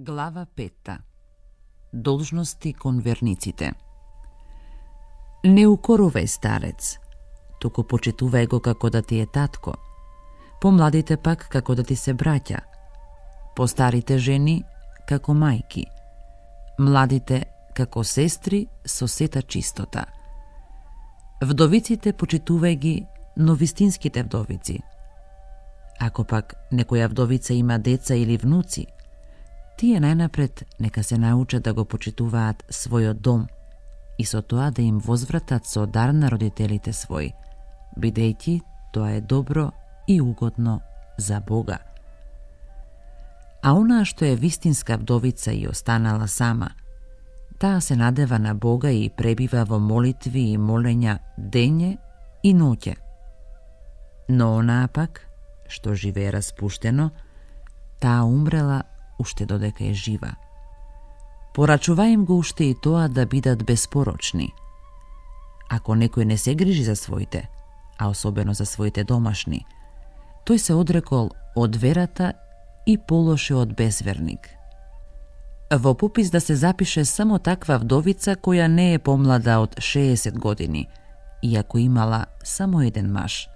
Глава 5. Должности кон верниците. Не укорувај старец, туку почитувај го како да ти е татко, помладите пак како да ти се браќа, постарите жени како мајки, младите како сестри со сета чистота. Вдовиците почитувај ги, но вистинските вдовици. Ако пак некоја вдовица има деца или внуци, тие најнапред нека се научат да го почитуваат својот дом и со тоа да им возвратат со дар на родителите своји, бидејќи тоа е добро и угодно за Бога. А онаа што е вистинска вдовица и останала сама, таа се надева на Бога и пребива во молитви и молења дење и ноќе. Но онаа пак, што живее распуштено, таа умрела уште додека е жива. Порачува им го уште и тоа да бидат безпорочни. Ако некој не се грижи за своите, а особено за своите домашни, тој се одрекол од верата и полоше од безверник. Во попис да се запише само таква вдовица која не е помлада од 60 години, иако имала само еден маж,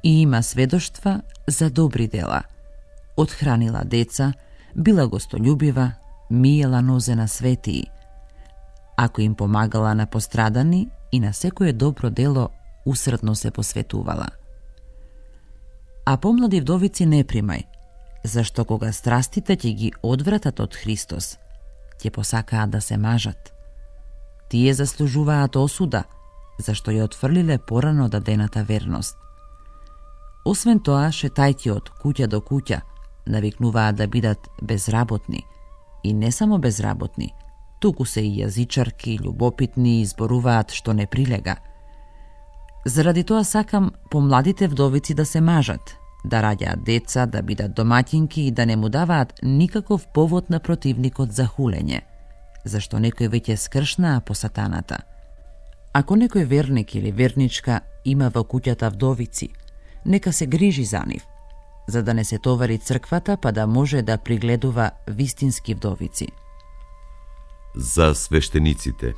и има сведоштва за добри дела. Отхранила деца, била гостољубива, миела нозе на светии. Ако им помагала на пострадани и на секое добро дело усредно се посветувала. А помлади вдовици не примај, зашто кога страстите ќе ги одвратат од Христос, ќе посакаат да се мажат. Тие заслужуваат осуда, зашто ја отфрлиле порано дадената верност. Освен тоа, шетајќи од куќа до куќа, навикнуваат да бидат безработни, и не само безработни, туку се и јазичарки, љубопитни и зборуваат што не прилега. Заради тоа сакам помладите вдовици да се мажат, да раѓаат деца, да бидат домаќинки и да не му даваат никаков повод на противникот за хулење, зашто некој веќе скршнаа по сатаната. Ако некој верник или верничка има во куќата вдовици, нека се грижи за нив, за да не се товари црквата, па да може да пригледува вистински вдовици. За свештениците.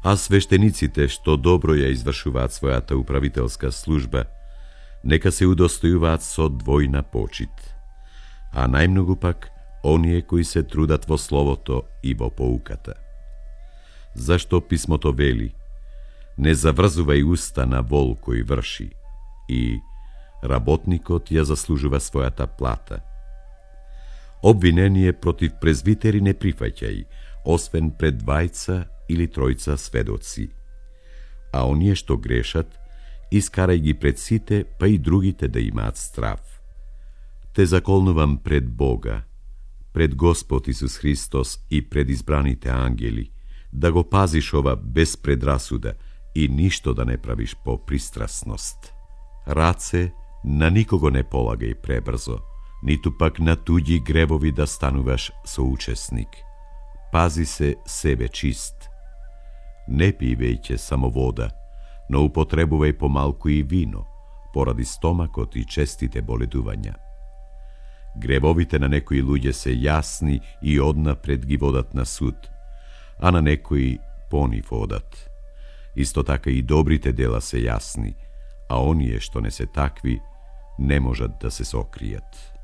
А свештениците што добро ја извршуваат својата управителска служба, нека се удостојуваат со двојна почит, а најмногу пак оние кои се трудат во словото и во поуката. Зашто писмото вели: не заврзувај уста на вол кој врши, и работникот ја заслужува својата плата. Обвинение против презвитери не прифаќај, освен пред двајца или тројца сведоци. А оние што грешат, искарај ги пред сите, па и другите да имаат страв. Те заколнувам пред Бога, пред Господ Исус Христос и пред избраните ангели, да го пазиш ова без предрасуда и ништо да не правиш по пристрасност. Раце на никого не полагај пребрзо, ниту пак на туѓи гревови да стануваш соучесник. Пази се себе чист. Не пивејќе само вода, но употребувај помалку и вино, поради стомакот и честите боледувања. Гревовите на некои луѓе се јасни и однапред ги водат на суд, а на некои понив одат. Исто така и добрите дела се јасни, а оние што не се такви, не можат да се сокријат.